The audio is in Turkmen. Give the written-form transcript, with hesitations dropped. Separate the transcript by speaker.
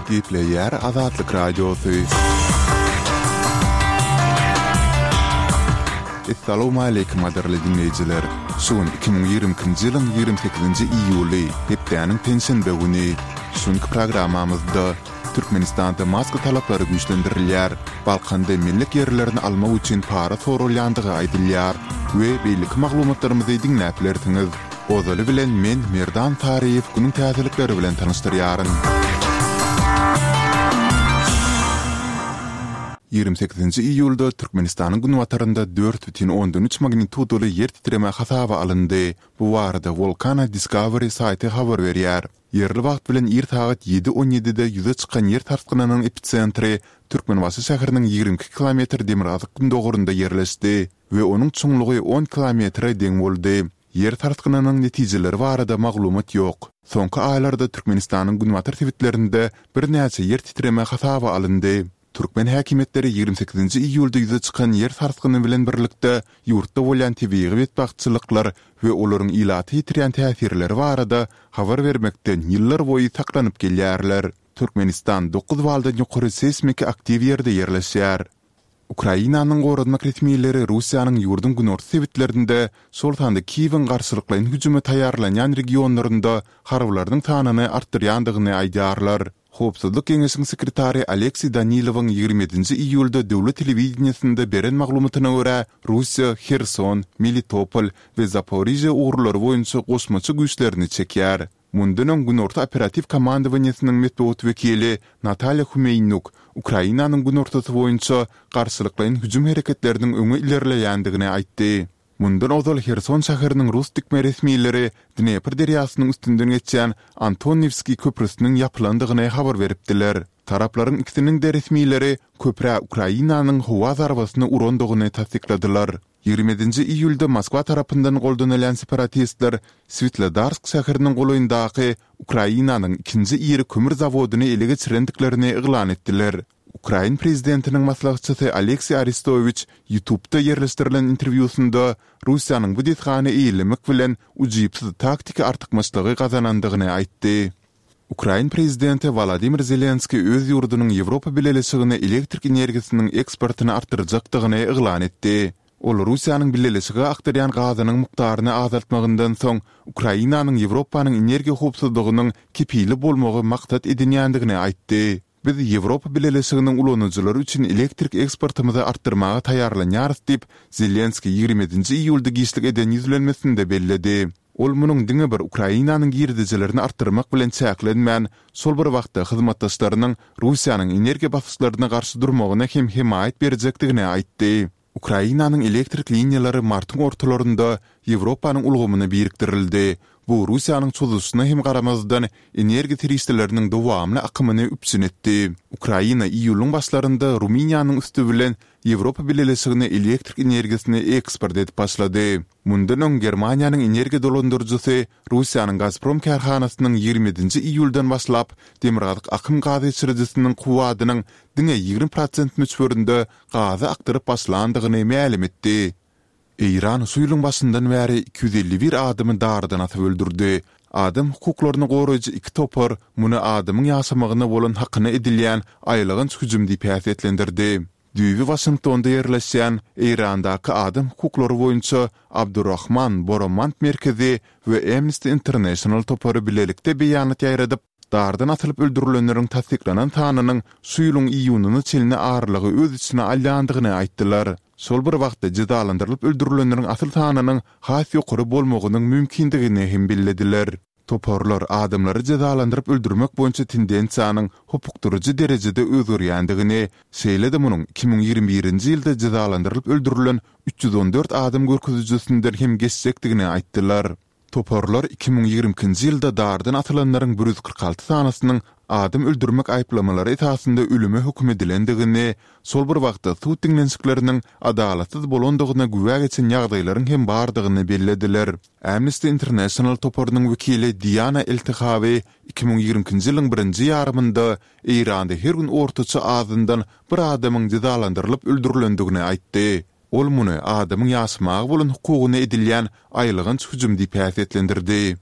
Speaker 1: Gepleýär Azatlyk Radiosy. Essalawmaleýkim gadyrly diňleýjiler! Şu gün 2022-nji ýylyň 28-nji iýuly, hepdäniň penşenbe güni. Şu günki programmamyzda Türkmenistanda maska talaplary güýçlendirilýär, Balkanda mellek ýerlerini almak üçin para soralýandygy aýdylýar we beýleki maglumatlarymyzy diňläp bilersiňiz. Ozaly bilen men Merdan Saryýew günüň täzelikleri bilen tanyşdyrýaryn. 28-nji iýulda Türkmenistanyň günbatarynda 4,3 magnitudaly ýer titreme hasaba alyndy. Bu barada Volcano Discovery saýty habar berýär. Ýerli wagt bilen ir sagat ýedi on ýedide ýüze çykan ýer sarsgynynyň episentri Türkmenbaşy şäheriniň 22 kilometr demirgazyk-gündogarynda ýerleşdi we onuň çuňlugy on kilometre deň boldy. Ýer sarsgynynyň netijeleri barada maglumat ýok. Soňky aýlarda Türkmenistanyň günbatar sebitlerinde birnäçe ýer titreme hasaba alyndy. Türkmen häkimiýetleri 28-nji iýulda ýüze çykan ýer sarsgyny bilen birlikde ýurtda bolýan tebigy betbagtçylyklar we olaryň ilata ýetirýän täsirleri barada habar bermekden ýyllarboýy saklanyp gelýärler. Türkmenistan dokuz baldan ýokary seýsmiki aktiw ýerde ýerleşýär. Ukrainanyň goranmak resmileri Russiýanyň ýurduň günorta sebitlerinde, şol sanda Kiýewiň garşylyklaýyn hüjüme taýýarlanýan regionlarynda harbylarynyň sanyny artdyrýandygyny aýdýarlar. Howpsuzlyk geňeşiň sekretary Alekseý Danilowyň 27-nji iýulda döwlet telewideniýesinde beren maglumatyna görä, Russiýa Herson, Melitopol we Zaporižýa ugurlary boýunça goşmaça güýçlerini çekýär. Mundan öň Günorta operatiw komandowaniýesiniň metbugat wekili Natalýa Humeýnuk Ukrainanyň günortasy boýunça garşylyklaýyn hüjüm hereketleriniň öňe ilerleýändigini aýtdy. Mundan ozal Herson şäheriniň rus dikme resmileri Dnepr derýasynyň üstünden geçýän Antoniwskiý köprüsiniň ýapylandygyny habar beripdiler. Taraplaryň ikisiniň-de resmileri köprä Ukrainanyň howa zarbasyny urandygyny tassykladylar. 27-nji iýulda Moskwa tarapyndan goldanylýan separatistler Switlodarsk şäheriniň golaýyndaky Ukrainanyň ikinji iri kömür zawodyny ele geçirendiklerini yglan etdiler. Ukrain prezidentiniň maslahatçysy Alekseý Arestowiç YouTube-da ýerleşdirilen interwýusynda Russiýanyň bu desgany eýelemek bilen ujypsyz taktiki artykmaçlygy gazanandygyny aýtdy. Ukrain prezidenti Wolodymyr Zelenskiý öz ýurdunyň Ýewropa Bileleşigine elektrik energiýasynyň eksportyny artdyrjakdygyny yglan etdi. Ol Russiýanyň Bileleşige akdyrýan gazynyň mukdaryny azaltmagyndan soň Ukrainanyň Ýewropanyň energiýa howpsuzlygynyň kepili bolmagy maksat edinýändigini aýtdy. Biz Ýewropa Bileleşiginiň ulanyjylary üçin elektrik eksportymyzy artdyrmaga taýýarlanýarys diýip, Zelenskiý 27-nji iýulda giçlik eden ýüzlenmesinde belledi. Ol munuň diňe bir Ukrainanyň girdejilerini artdyrmak bilen çäklenmän, şol bir wagtda hyzmatdaşlarynyň Russiýanyň energiýa basyşlaryna garşy durmagyna hem hemaýat berjekdigini aýtdy. Ukrainanyň elektrik liniýalary martyň ortalarynda Ýewropanyň ulgamyna birikdirildi. Bu Russiýanyň çozuşyna hem garamazdan, energiýa serişdeleriniň dowamly akymyny üpjün etdi. Ukraina iýulyň başlarynda Rumyniýanyň üsti bilen Ýewropa Bileleşigine elektrik energiýasyny eksport edip başlady. Mundan öň Germaniýanyň energiýa dolandyryjysy Russiýanyň Gazprom kärhanasynyň 27-nji iýuldan başlap Demirgazyk akym gaz geçirijisiniň kuwwadynyň diňe 20 prosent möçberinde gazy akdyryp başlandygyny mälim etdi. Eýran şu ýylyň başyndan bäri 251 adamy dardan asyp öldürdi. Adam hukuklaryny goraýjy iki topar muny adamyň ýaşamagyna bolan hakyna edilýän aýylganç hüjüm diýip häsiýetlendirdi. Düýbi Waşingtonda ýerleşýän Eýrandaky adam hukuklary boýunça Abdurrahman Boromand merkezi we Amnesty International topary bilelikde beýanat ýaýradyp, dardan asylyp öldürilenleriň tassyklanan sanynyň şu ýylyň iýunyna çenli aralygy öz içine alýandygyny aýtdylar. Şol bir wagtda jezalandyrylyp öldürilenleriň asyl sanynyň has ýokary bolmagynyň mümkindigini hem bellediler. Toparlar adamlary jezalandyryp öldürmek boýunça tendensiýanyň hopukdyryjy derejede özgerýändigini, şeýle-de munuň 2021-nji ýylda jezalandyrylyp öldürilen 314 adam görkezijisinden hem geçjekdigini aýtdylar. Toparlar 2022-nji ýylda dardan asylanlaryň 146 sanysynyň adam öldürmek aýyplamalary esasynda ölüme höküm edilendigini, şol bir wagtda sud diňlenişikleriniň adalatsyz bolandygyna güwä geçen ýagdaýlaryň hem bardygyny bellediler. Amnesty International toparynyň wekili Diana Eltehawi 2022-nji ýylyň birinji ýarymynda Eýranda her gün ortaça azyndan bir adamyň jezalandyrylyp öldürilendigini aýtdy. Ol muny adamyň ýaşamaga bolan hukugyna edilýän aýylganç hüjüm diýip häsiýetlendirdi.